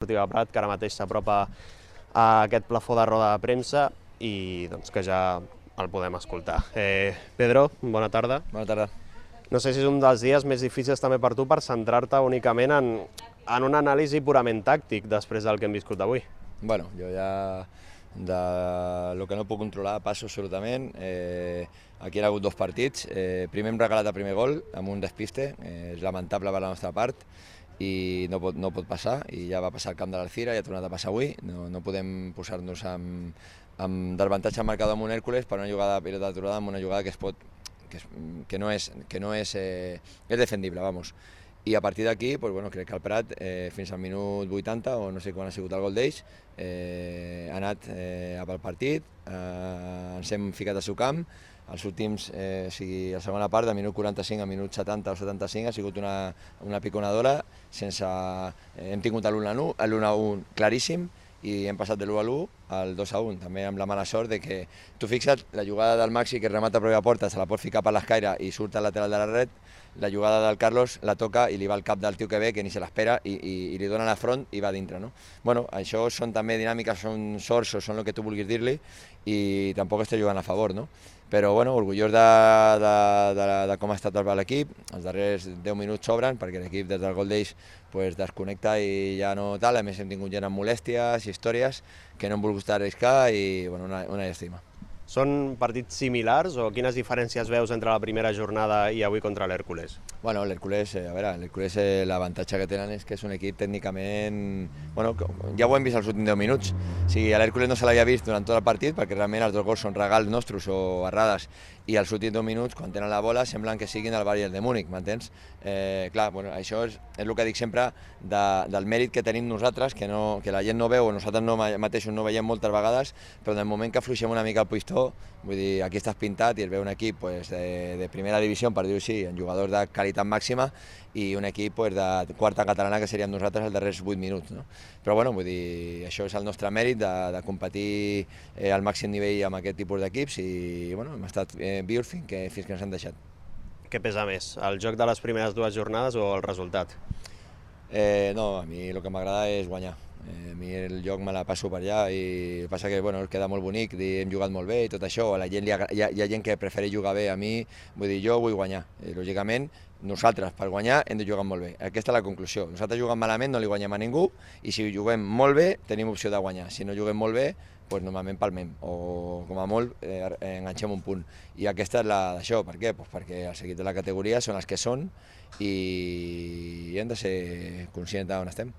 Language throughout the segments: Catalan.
Esportiva Prat, que ara mateix s'apropa a aquest plafó de roda de premsa i que ja el podem escoltar. Pedro, bona tarda. Bona tarda. No sé si és un dels dies més difícils també per tu per centrar-te únicament en una anàlisi purament tàctic després del que hem viscut avui. Bueno, jo ja de lo que no puc controlar passo absolutament. Aquí hi ha hagut dos partits. Primer hem regalat el primer gol amb un despiste, és lamentable per la nostra part i no pot passar, i ja va passar al camp de l'Alcira i ha tornat a passar avui. No podem posar-nos amb d'avantatge al marcador amb un Hèrcules per una jugada de pilota aturada, amb una jugada que no és defendible, vamos. I a partir d'aquí, crec que el Prat, fins al minut 80, o no sé quan ha sigut el gol d'ells, ha anat pel partit, ens hem ficat al seu camp. Els últims, la segona part, de minut 45 a minut 70 o 75, ha sigut una piconadora, hem tingut l'1-1 claríssim, i hem passat de l'1-1 al 2-1, també amb la mala sort de que, tu fixa't, la jugada del Maxi que remata a pròpia porta, se la pot ficar per l'escaire i surt al lateral de la red, la jugada del Carlos la toca i li va al cap del tio que ve, que ni se l'espera, i li dona la front i va dintre, no? Bueno, això són també dinàmiques, són sorts o són el que tu vulguis dir-li, i tampoc estic jugant a favor, no? Però bueno, orgullós de com ha estat l'equip. Els darrers 10 minuts sobren perquè l'equip des del gol d'ells desconnecta i ja no tal. A més hem tingut gent amb molèsties i històries que no hem volgut arriscar i una llàstima. Són partits similars o quines diferències veus entre la primera jornada i avui contra l'Hèrcules? Bueno, l'Hèrcules, l'avantatge que tenen és que és un equip tècnicament... Bueno, ja ho hem vist els últims 10 minuts. O sigui, a l'Hèrcules no se l'havia vist durant tot el partit perquè realment els dos gols són regals nostres o errades, i els últims 2 minuts, quan tenen la bola, semblen que siguin el Bayern de Múnich, m'entens? Això és el que dic sempre del mèrit que tenim nosaltres, que la gent no veu, o nosaltres mateixos no veiem moltes vegades, però en el moment que afluixem una mica el pistó, vull dir, aquí estàs pintat i es veu un equip de primera divisió, per dir-ho així, amb jugadors de qualitat màxima, i un equip de quarta catalana que seríem nosaltres els darrers 8 minuts, no? Però bueno, vull dir, això és el nostre mèrit de competir al màxim nivell amb aquest tipus d'equips, i bueno, hem estat vius fins que ens han deixat. Què pesa més, el joc de les primeres 2 jornades o el resultat? No, a mi el que m'agrada és guanyar. A mi el joc me la passo per allà, i passa que queda molt bonic dir hem jugat molt bé i tot això. A la gent hi ha gent que prefereix jugar bé. A mi, vull dir, jo vull guanyar. Lògicament, nosaltres per guanyar hem de jugar molt bé. Aquesta és la conclusió. Nosaltres jugant malament no li guanyem a ningú, i si juguem molt bé tenim opció de guanyar. Si no juguem molt bé, normalment palmem, o com a molt enganxem un punt. I aquesta és d'això. Per què? Perquè els equips de la categoria són els que són i hem de ser conscients d'on estem.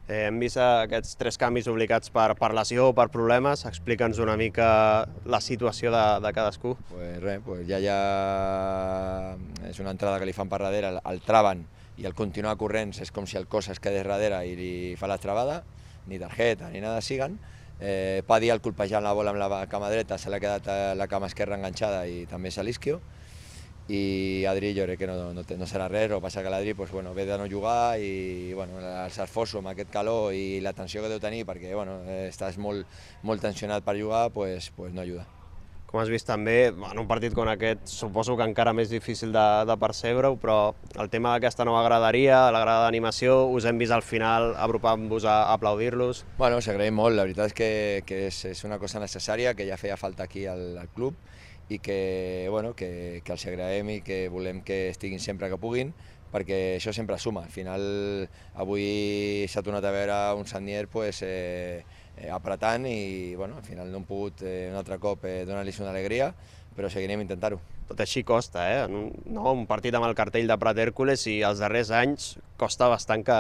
Hem vist aquests 3 canvis obligats per lesió o per problemes. Explica'ns una mica la situació de cadascú. Ja és una entrada que li fan per darrere, el traven, i el continuar corrents és com si el cos es quedés darrere i li fa la travada, ni targeta ni nada siguen. Padi el colpejant la bola amb la cama dreta, se l'ha quedat la cama esquerra enganxada i també és a l'isquio. I Adri jo crec que no serà res, o passa que l'Adri ve de no jugar, i els esforços amb aquest calor i la tensió que deu tenir perquè estàs molt tensionat per jugar, no ajuda. Com has vist també, en un partit com aquest, suposo que encara més difícil de percebre-ho, però el tema d'aquesta nova graderia, la grada d'animació, us hem vist al final apropant-vos a aplaudir-los. S'agraïm molt, la veritat és que és una cosa necessària, que ja feia falta aquí al club, i que els agraïm i que volem que estiguin sempre que puguin, perquè això sempre suma. Al final, avui s'ha tornat a veure un Sagnier apretant, i al final no hem pogut un altre cop donar-los una alegria, però seguirem intentant-ho. Tot així costa, un partit amb el cartell de Prat Hèrcules, i els darrers anys costa bastant, que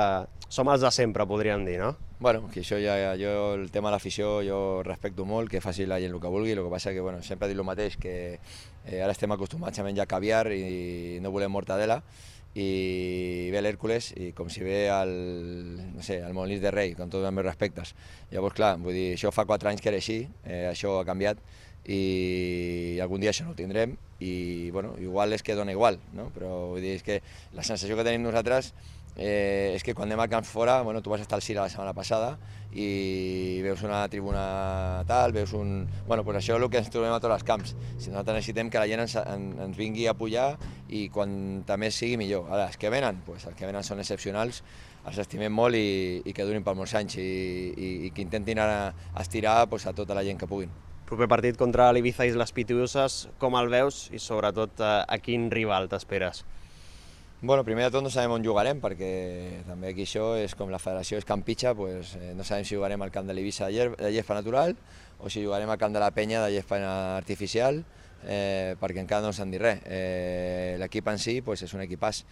som els de sempre, podríem dir, no? Que això jo el tema de l'afició jo respecto molt, que faci la gent el que vulgui. El que passa que sempre dic el mateix, que ara estem acostumats a menjar caviar i no volem mortadela, i ve l'Hèrcules i com si ve el Molins de Rei, amb tots els meus respectes. Llavors, clar, vull dir, això fa 4 anys que era així, això ha canviat, i algun dia això no ho tindrem, i igual és que dona igual, no? Però vull dir, és que la sensació que tenim nosaltres és que quan anem a camps fora, tu vas estar al Cira la setmana passada i veus una tribuna tal, veus un... això és el que ens trobem a tots els camps. Si nosaltres necessitem que la gent ens vingui a apoyar, i quan més sigui millor. Ara, els que venen són excepcionals, els estimem molt i que durin per molts anys i que intentin ara estirar pues, a tota la gent que puguin. Proper partit contra l'Ibiza i les Pitiuses, com el veus i sobretot a quin rival t'esperes? Bueno, primer de tot no sabem on jugarem, perquè també aquí això és com la federació és Camp Pitxa, pues, no sabem si jugarem al camp de l'Ibiza de gespa natural o si jugarem al camp de la Penya de gespa artificial, perquè encara no ens han dit res. L'equip en si pues, és un equipàs.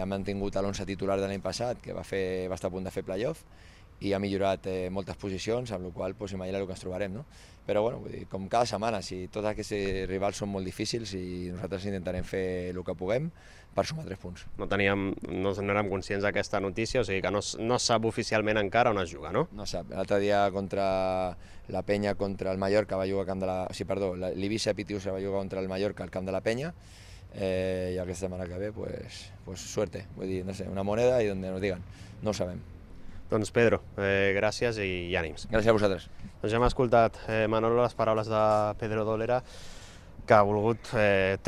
Ha mantingut l'11 titular de l'any passat, que va estar a punt de fer playoff, i ha millorat moltes posicions, amb la qual cosa pues, imagina el que ens trobarem. No? Però bueno, vull dir, com cada setmana, si tots aquests rivals són molt difícils i nosaltres intentarem fer el que puguem per sumar 3 punts. No érem conscients d'aquesta notícia, o sigui que no sap oficialment encara on es juga, no? No sap. L'altre dia contra la Penya, contra el Mallorca, va jugar al camp de la... Sí, perdó, l'Ibiza Pitiusa va jugar contra el Mallorca al camp de la Penya, i aquesta setmana que ve, pues suerte. Vull dir, no sé, una moneda i donde nos digan. No ho sabem. Doncs Pedro, gràcies i ànims. Gràcies a vosaltres. Doncs ja hem escoltat, Manolo, les paraules de Pedro Dolera, que ha volgut treure